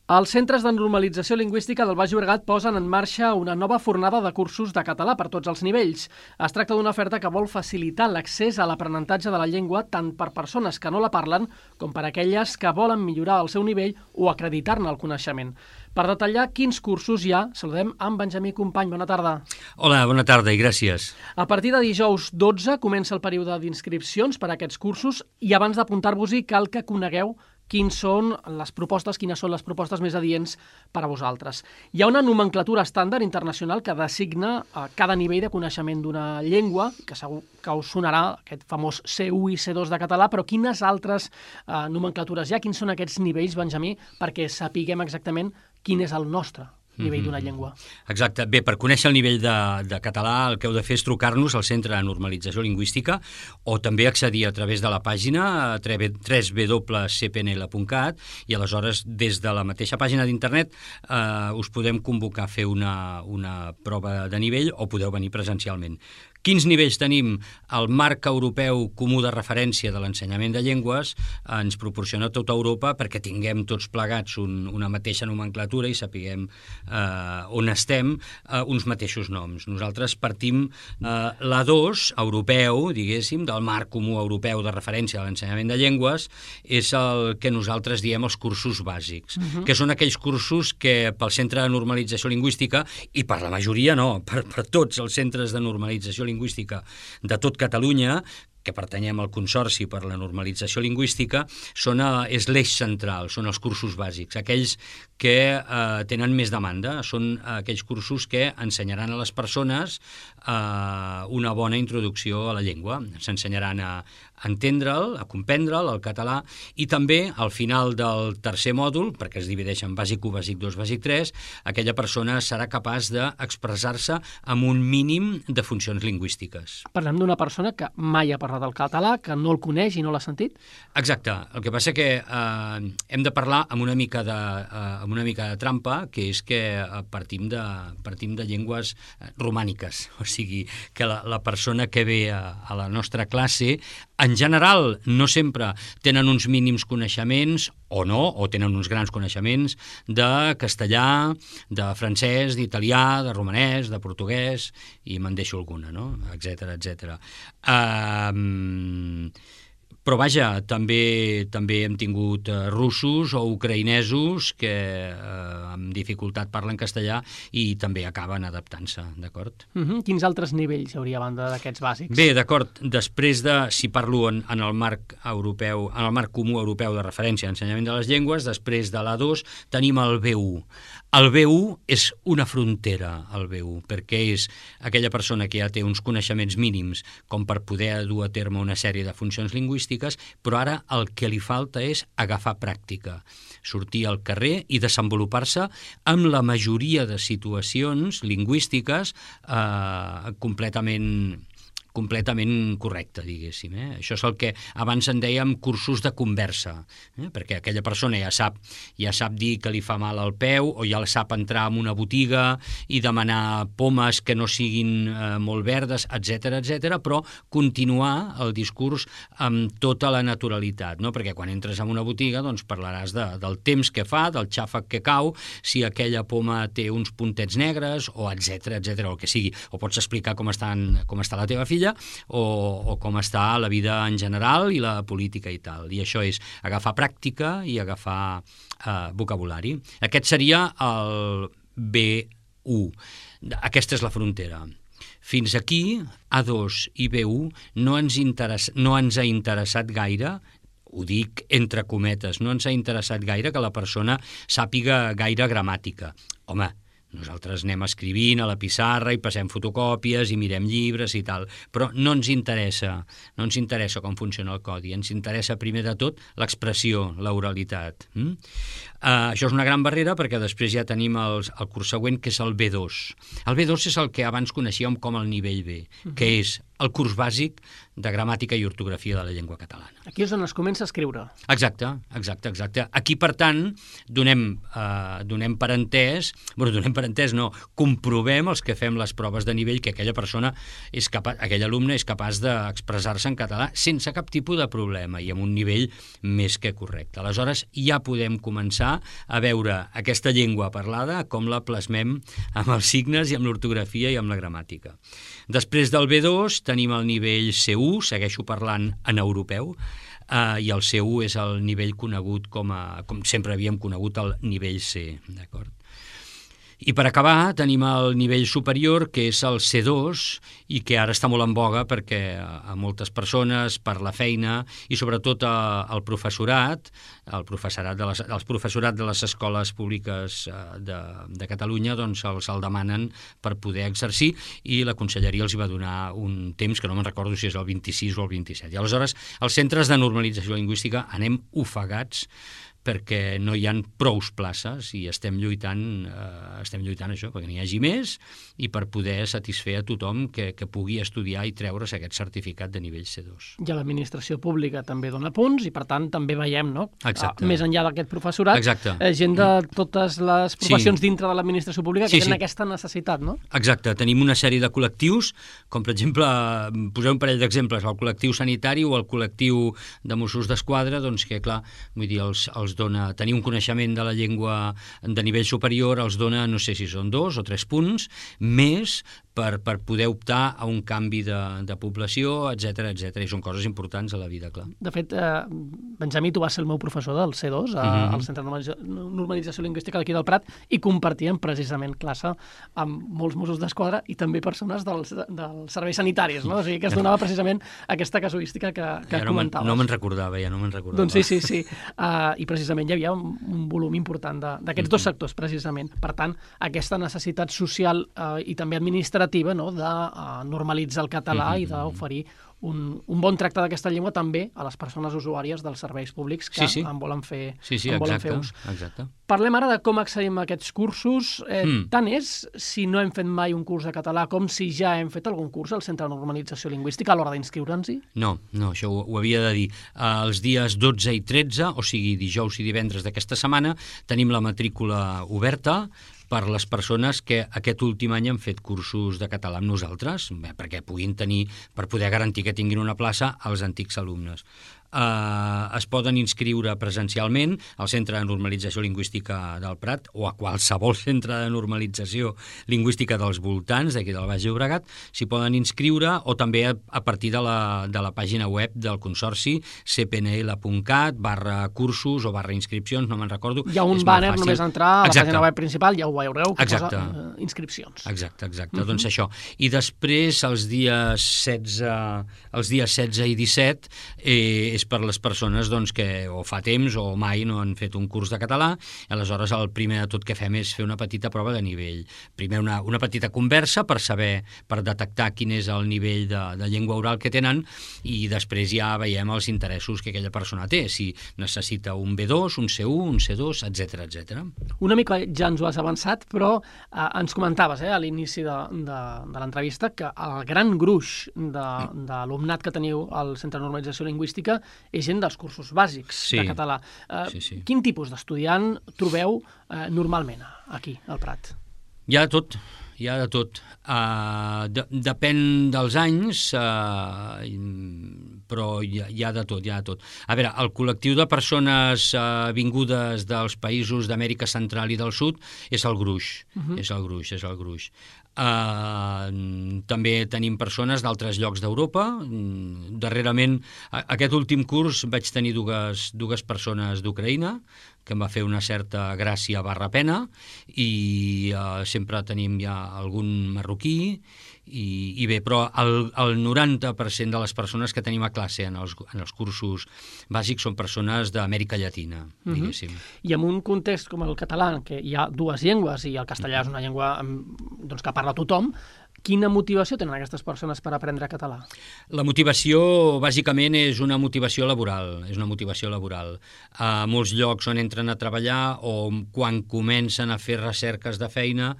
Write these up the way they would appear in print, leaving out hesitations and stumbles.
Els centres de normalització lingüística del Baix Llobregat posen en marxa una nova fornada de cursos de català per tots els nivells. Es tracta d'una oferta que vol facilitar l'accés a l'aprenentatge de la llengua tant per persones que no la parlen com per aquelles que volen millorar el seu nivell o acreditar-ne el coneixement. Per detallar quins cursos hi ha, saludem amb Benjamí Company. Bona tarda. Hola, bona tarda i gràcies. A partir de dijous 12 comença el període d'inscripcions per a aquests cursos i abans d'apuntar-vos-hi cal que conegueu quines són les propostes més adients per a vosaltres. Hi ha una nomenclatura estàndard internacional que designa cada nivell de coneixement d'una llengua, que segur que us sonarà aquest famós C1 i C2 de català, però quines altres nomenclatures hi ha? Quins són aquests nivells, Benjamí, perquè sapiguem exactament quin és el nostre nivell d'una llengua. Exacte. Bé, per conèixer el nivell de català el que heu de fer és trucar-nos al Centre de Normalització Lingüística o també accedir a través de la pàgina www.cpnl.cat i aleshores des de la mateixa pàgina d'internet us podem convocar a fer una prova de nivell o podeu venir presencialment. Quins nivells tenim? El marc europeu comú de referència de l'ensenyament de llengües ens proporciona tota Europa perquè tinguem tots plegats una mateixa nomenclatura i sapiguem on estem, uns mateixos noms. Nosaltres partim l'A2 europeu, diguéssim, del marc comú europeu de referència de l'ensenyament de llengües, és el que nosaltres diem els cursos bàsics, que són aquells cursos que pel Centre de Normalització Lingüística, i per la majoria no, per tots els centres de normalització lingüística de tot Catalunya, que pertanyem al Consorci per la Normalització Lingüística, és l'eix central, són els cursos bàsics, aquells que tenen més demanda, són aquells cursos que ensenyaran a les persones una bona introducció a la llengua, s'ensenyaran a entendre'l, a comprendre'l, el català, i també al final del tercer mòdul, perquè es divideix en bàsic 1, bàsic 2, bàsic 3, aquella persona serà capaç d'expressar-se amb un mínim de funcions lingüístiques. Parlem d'una persona que mai ha parlat el català, que no el coneix i no l'ha sentit? Exacte. El que passa que hem de parlar amb una mica de trampa, que és que partim de llengües romàniques, o sigui, que la persona que ve a la nostra classe en general no sempre tenen uns mínims coneixements o no, o tenen uns grans coneixements de castellà, de francès, d'italià, de romanès, de portuguès, i me'n deixo alguna, no? Etcètera, etcètera. Però vaja, també hem tingut russos o ucraïnesos que amb dificultat parlen castellà i també acaben adaptant-se, d'acord? Quins altres nivells hi hauria a banda d'aquests bàsics? Bé, d'acord, després si parlo en el marc europeu, en el marc comú europeu de referència a l'ensenyament de les llengües, després de l'A2 tenim el B1. El B1 és una frontera, el B1, perquè és aquella persona que ja té uns coneixements mínims com per poder dur a terme una sèrie de funcions lingüístiques, però ara el que li falta és agafar pràctica, sortir al carrer i desenvolupar-se amb la majoria de situacions lingüístiques completament correcte, diguéssim. Això és el que abans en dèiem cursos de conversa, perquè aquella persona ja sap dir que li fa mal al peu o ja sap entrar en una botiga i demanar pomes que no siguin molt verdes, etcètera, però continuar el discurs amb tota la naturalitat, no? Perquè quan entres en una botiga doncs parlaràs del temps que fa, del xàfec que cau, si aquella poma té uns puntets negres o etcètera, el que sigui. O pots explicar com està la teva filla o com està la vida en general i la política i tal. I això és agafar pràctica i agafar vocabulari. Aquest seria el B1. Aquesta és la frontera. Fins aquí, A2 i B1 no ens ha interessat gaire, ho dic entre cometes, no ens ha interessat gaire que la persona sàpiga gaire gramàtica. Home, nosaltres anem escrivint a la pissarra i passem fotocòpies i mirem llibres i tal, però no ens interessa com funciona el codi, ens interessa primer de tot l'expressió, l'oralitat. Això és una gran barrera perquè després ja tenim el curs següent, que és el B2. El B2 és el que abans coneixíem com el nivell B, que és el curs bàsic de gramàtica i ortografia de la llengua catalana. Aquí és on es comença a escriure. Exacte. Aquí, per tant, donem per entès, comprovem els que fem les proves de nivell que aquella persona aquell alumne és capaç d'expressar-se en català sense cap tipus de problema i amb un nivell més que correcte. Aleshores, ja podem començar començar a veure aquesta llengua parlada com la plasmem amb els signes i amb l'ortografia i amb la gramàtica. Després del B2 tenim el nivell C1, segueixo parlant en europeu, i el C1 és el nivell conegut com sempre havíem conegut el nivell C, d'acord? I per acabar tenim el nivell superior, que és el C2, i que ara està molt en boga perquè a moltes persones, per la feina i sobretot el professorat, el professorat de les escoles públiques de Catalunya, doncs el demanen per poder exercir, i la conselleria els hi va donar un temps, que no me'n recordo si és el 26 o el 27. I aleshores els centres de normalització lingüística anem ofegats perquè no hi ha prous places i estem lluitant això, perquè n'hi hagi més i per poder satisfer a tothom que pugui estudiar i treure's aquest certificat de nivell C2. I l'administració pública també dona punts i, per tant, també veiem, no? Exacte. Més enllà d'aquest professorat, exacte. Gent de totes les professions dintre de l'administració pública que tenen aquesta necessitat, no? Exacte. Tenim una sèrie de col·lectius, com per exemple, posem un parell d'exemples, el col·lectiu sanitari o el col·lectiu de Mossos d'Esquadra, doncs que, clar, vull dir, els dona, tenir un coneixement de la llengua de nivell superior els dona, no sé si són 2 o 3 punts, més per poder optar a un canvi de població, etc. I són coses importants a la vida, clar. De fet, Benjamí, tu vas ser el meu professor del C2 al Centre de Normalització Lingüística d'aquí del Prat i compartíem precisament classe amb molts Mossos d'Esquadra i també persones dels serveis sanitaris, no? O sigui que es donava precisament aquesta casuística que comentaves. No me'n recordava, ja no me'n recordava. Doncs sí. I precisament hi havia un volum important d'aquests dos sectors, precisament. Per tant, aquesta necessitat social i també administrativa, no?, de normalitzar el català i d'oferir un bon tracte d'aquesta llengua també a les persones usuàries dels serveis públics que en volen fer ús. Exacte. Parlem ara de com accedim a aquests cursos. Tant és si no hem fet mai un curs de català com si ja hem fet algun curs al Centre de Normalització Lingüística a l'hora d'inscriure'ns-hi? No, això ho havia de dir. Els dies 12 i 13, o sigui, dijous i divendres d'aquesta setmana, tenim la matrícula oberta per les persones que aquest últim any han fet cursos de català amb nosaltres, perquè puguin tenir, per poder garantir que tinguin una plaça als antics alumnes. Es poden inscriure presencialment al Centre de Normalització Lingüística del Prat o a qualsevol centre de normalització lingüística dels voltants d'aquí del Baix Llobregat, s'hi poden inscriure, o també a partir de la pàgina web del Consorci, cpnl.cat/cursos o /inscripcions, no me'n recordo. Hi ha un banner, només entrar a la pàgina web principal, ja ho veureu, que posa inscripcions. Exacte. Doncs això. I després, els dies 16 i 17, és per les persones que o fa temps o mai no han fet un curs de català, i aleshores el primer de tot que fem és fer una petita prova de nivell. Primer una petita conversa per detectar quin és el nivell de llengua oral que tenen, i després ja veiem els interessos que aquella persona té, si necessita un B2, un C1, un C2, etc. Una mica ja ens ho has avançat, però ens comentaves a l'inici de l'entrevista que el gran gruix d'alumnat que teniu al Centre de Normalització Lingüística és gent dels cursos bàsics de català. Quin tipus d'estudiant trobeu normalment aquí, al Prat? Hi ha de tot. Depèn dels anys, però hi ha de tot. A veure, el col·lectiu de persones vingudes dels països d'Amèrica Central i del Sud és el gruix. És el gruix. També tenim persones d'altres llocs d'Europa. Darrerament, aquest últim curs vaig tenir dues persones d'Ucraïna, que em va fer una certa gràcia /pena, i sempre tenim ja algun marroquí, i bé, però el 90% de les persones que tenim a classe en els cursos bàsics són persones d'Amèrica Llatina, diguéssim. I en un context com el català, en què hi ha dues llengües i el castellà és una llengua que parla tothom, quina motivació tenen aquestes persones per aprendre català? La motivació, bàsicament, és una motivació laboral. A molts llocs on entren a treballar o quan comencen a fer recerques de feina,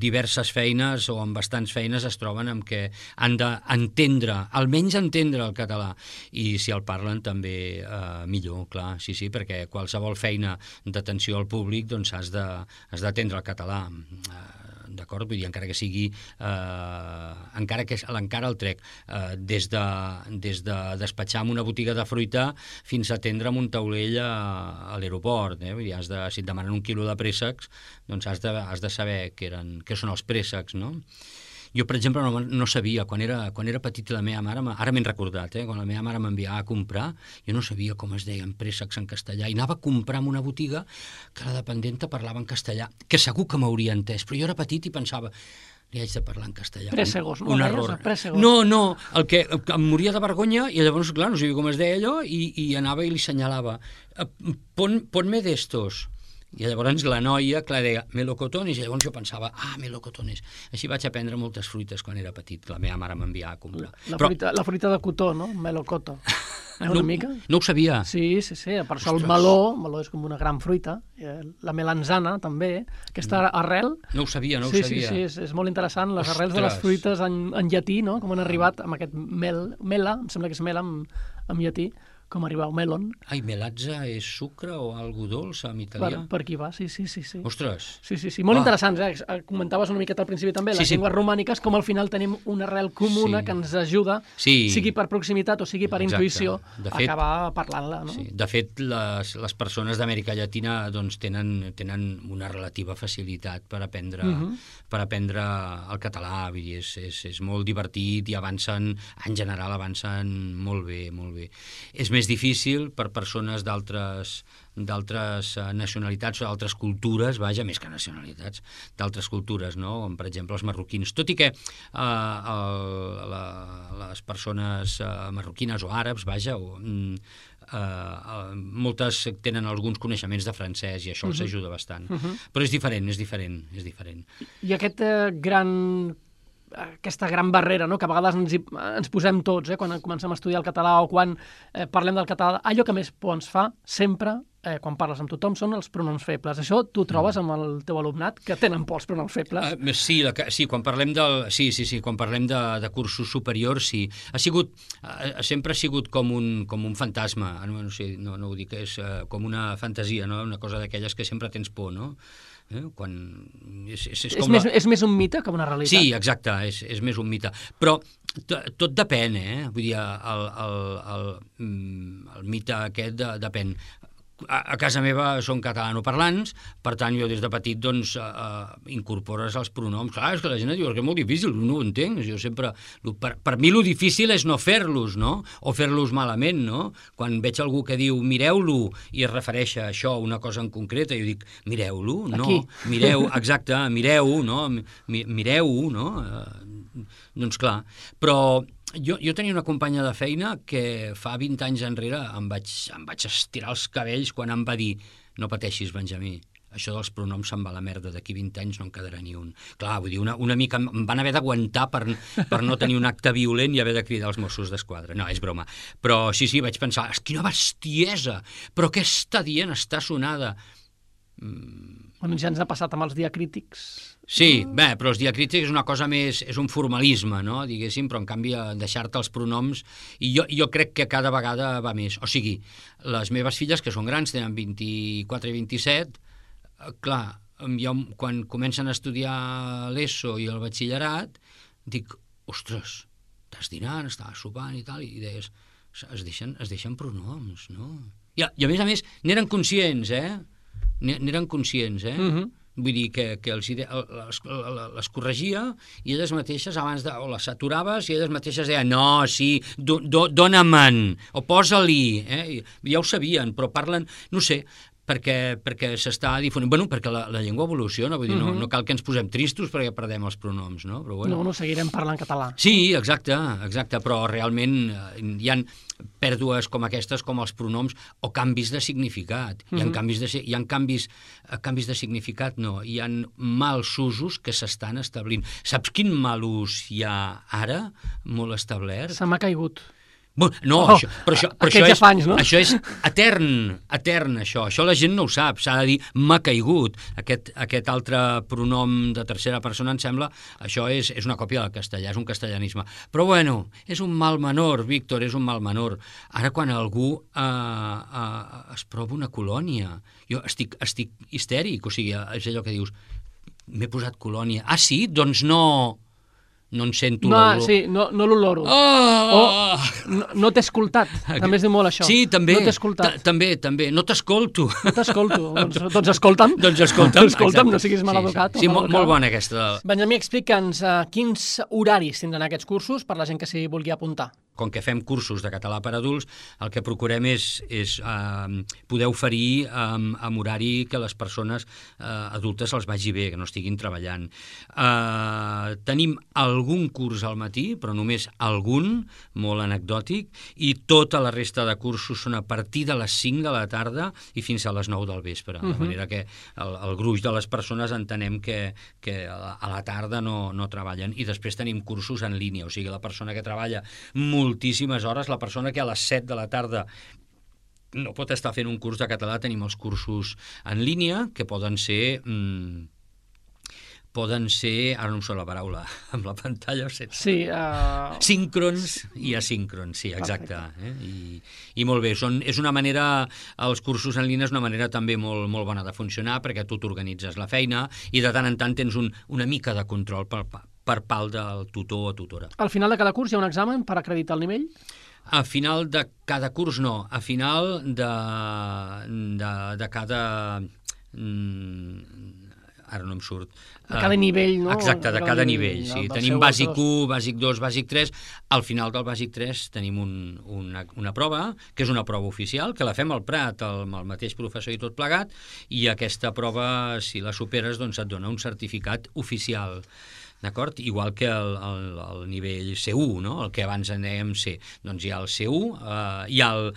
diverses feines o amb bastants feines es troben amb que han d'entendre, almenys entendre el català, i si el parlen també millor, clar, sí, perquè qualsevol feina d'atenció al públic doncs has d'atendre el català. d'acord? Vull dir, encara que sigui, encara el trec, des de despatxar en una botiga de fruita fins a atendre amb un taulell a l'aeroport, Vull dir, si et demanen 1 quilo de préssecs, doncs has de saber què són els préssecs, no? Jo, per exemple, no sabia, quan era petit la meva mare, ara m'he recordat, quan la meva mare m'enviava a comprar, jo no sabia com es deien préssecs en castellà, i anava a comprar en una botiga que la dependenta parlava en castellà, que segur que m'hauria entès, però jo era petit i pensava, li haig de parlar en castellà. Présegos, no? Un error. Présegos. No, el que em moria de vergonya, i llavors, clar, no sabia com es deia allò, i anava i li senyalava, ponme d'estos. I llavors la noia, clar, deia melocotones, i llavors jo pensava, melocotones. Així vaig aprendre moltes fruites quan era petit, que la meva mare m'enviava a comprar. La fruita de cotó, no? Melocoto. Una mica? No ho sabia. Sí, per això el meló és com una gran fruita. La melanzana, també, aquesta arrel. No ho sabia. Sí, és molt interessant, les arrels de les fruites en llatí, no? Com han arribat amb aquest mela, em sembla que és mela en llatí, com arribar al melon. Melatge és sucre o algo dolç en italià? Per aquí va, sí. Ostres! Sí, molt interessants, comentaves una miqueta al principi també, les llengües romàniques, com al final tenim una arrel comuna que ens ajuda, sigui per proximitat o sigui per intuïció, a acabar parlant-la, no? Sí. De fet, les persones d'Amèrica Llatina doncs, tenen una relativa facilitat per aprendre el català, vull dir, és molt divertit i en general avancen molt bé, molt bé. És més difícil per persones d'altres nacionalitats o d'altres cultures, més que nacionalitats, d'altres cultures, no? Com per exemple els marroquins. Tot i que les persones marroquines o àrabs, moltes tenen alguns coneixements de francès i això els ajuda bastant. Però és diferent. I aquesta gran barrera, no? Que a vegades ens posem tots, quan comencem a estudiar el català o quan parlem del català, allò que més por ens fa sempre, quan parles amb tothom, són els pronoms febles. Això tu trobes amb el teu alumnat, que tenen por els pronoms febles? Sí, quan parlem quan parlem de cursos superiors, sí. Sempre ha sigut com un fantasma, no ho dic, és com una fantasia, no? Una cosa d'aquelles que sempre tens por, no? És més un mite que una realitat. Sí, exacte, és més un mite. Però tot depèn, Vull dir, el mite aquest depèn. A casa meva són catalanoparlants, per tant, jo des de petit, doncs, incorpores els pronoms. Clar, és que la gent diu que és molt difícil, no ho entenc. Jo sempre... Per mi, lo difícil és no fer-los, no? O fer-los malament, no? Quan veig algú que diu mireu-lo i es refereix a això, una cosa en concreta, jo dic, mireu-lo? No, mireu, exacte, mireu, no? Mireu-ho, no? Doncs clar, però... Jo tenia una companya de feina que fa 20 anys enrere em vaig estirar els cabells quan em va dir no pateixis, Benjamí, això dels pronoms se'n va a la merda, d'aquí 20 anys no en quedarà ni un. Clar, vull dir, una mica em van haver d'aguantar per no tenir un acte violent i haver de cridar els Mossos d'Esquadra. No, és broma. Però sí, vaig pensar, quina bestiesa, però què està dient, està sonada. Bueno, ja ens ha passat amb els diacrítics. Sí, però els diacrítics és una cosa més, és un formalisme, no? Diguéssim, però en canvi deixar-te els pronoms, i jo crec que cada vegada va més. O sigui, les meves filles, que són grans, tenen 24 i 27, clar, jo quan comencen a estudiar l'ESO i el batxillerat, dic, ostres, estàs dinant, estàs sopant i tal, i deies, es deixen pronoms, no? I a més, n'eren conscients, N'eren conscients, Vull dir que les corregia i elles mateixes o les saturaves i elles mateixes deien no, sí, dona-me'n o posa-li, ja ho sabien, però parlen, no sé, perquè s'està difonint. Bueno, perquè la llengua evoluciona, vull dir, no cal que ens posem tristos perquè perdem els pronoms, no? Però bueno. No, seguirem parlant català. Sí, exacte, però realment hi ha pèrdues com aquestes, com els pronoms, o canvis de significat. Hi ha canvis de significat, no. Hi ha mals usos que s'estan establint. Saps quin mal ús hi ha ara, molt establert? Se m'ha caigut. No, això és etern, això. Això la gent no ho sap, s'ha de dir m'ha caigut. Aquest altre pronom de tercera persona, em sembla, això és una còpia del castellà, és un castellanisme. Però bueno, és un mal menor, Víctor, és un mal menor. Ara quan algú es prova una colònia, jo estic histèric, o sigui, és allò que dius, m'he posat colònia. Ah, sí? Doncs no en sento No, l'olor. sí, no l'oloro. Oh! No t'he escoltat. També es diu molt això. Sí, també. No t'he escoltat. També. No t'escolto. No t'escolto. Doncs escolta'm. Doncs escolta'm. Escolta'm, no siguis maleducat. Sí, molt bona aquesta. Benjamí, explica'ns quins horaris tindran aquests cursos per la gent que s'hi vulgui apuntar. Com que fem cursos de català per adults, el que procurem és poder oferir amb horari que les persones adultes els vagi bé, que no estiguin treballant. Tenim algun curs al matí, però només algun, molt anecdòtic, i tota la resta de cursos són a partir de les 5 de la tarda i fins a les 9 del vespre. De manera que el gruix de les persones entenem que a la tarda no treballen. I després tenim cursos en línia, o sigui, la persona que treballa moltíssimes hores, la persona que a les 7 de la tarda no pot estar fent un curs de català, tenim els cursos en línia, que poden ser, ara no em surt la paraula, amb la pantalla, sí, síncrons i asíncrons, sí, exacte. I molt bé, és una manera, els cursos en línia és una manera també molt bona de funcionar, perquè tu t'organitzes la feina i de tant en tant tens una mica de control per part del tutor o tutora. Al final de cada curs hi ha un examen per acreditar el nivell? A final de cada curs no, a final de cada... ara no em surt. De cada nivell, no? Exacte, de cada nivell, sí. Tenim bàsic 1, bàsic 2, bàsic 3. Al final del bàsic 3 tenim una prova, que és una prova oficial, que la fem al Prat, amb el mateix professor i tot plegat, i aquesta prova, si la superes, doncs et dona un certificat oficial. D'acord? Igual que el nivell C1, no? El que abans en dèiem C. Doncs hi ha el C1, hi ha el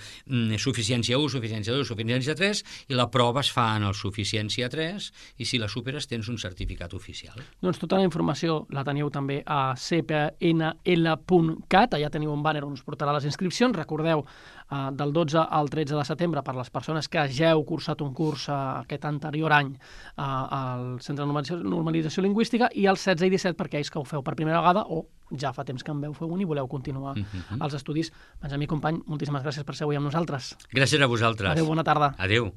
suficiència 1, suficiència 2, suficiència 3, i la prova es fa en el suficiència 3, i si la superes tens un certificat oficial. Doncs tota la informació la teniu també a cpnl.cat, allà teniu un banner on us portarà les inscripcions. Recordeu, del 12 al 13 de setembre, per les persones que ja heu cursat un curs aquest anterior any al Centre de Normalització Lingüística, i el 16 i 17 per aquells que ho feu per primera vegada o ja fa temps que en veu fer un i voleu continuar els estudis. Benjamí, company, moltíssimes gràcies per ser avui amb nosaltres. Gràcies a vosaltres. Adéu, bona tarda. Adéu.